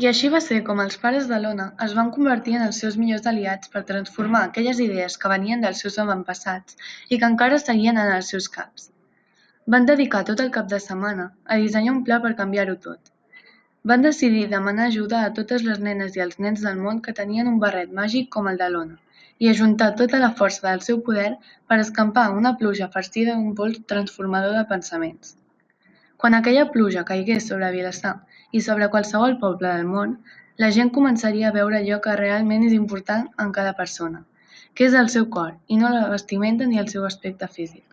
I així va ser com els pares de l'Ona es van convertir en els seus millors aliats per transformar aquelles idees que venien dels seus avantpassats i que encara seguien en els seus caps. Van dedicar tot el cap de setmana a dissenyar un pla per canviar-ho tot. Van decidir demanar ajuda a totes les nenes i els nens del món que tenien un barret màgic com el de l'Ona i ajuntar tota la força del seu poder per escampar una pluja farcida d'un pols transformador de pensaments. Quan aquella pluja caigués sobre Vilassar i sobre qualsevol poble del món, la gent començaria a veure allò que realment és important en cada persona, que és el seu cor, i no la vestimenta ni el seu aspecte físic.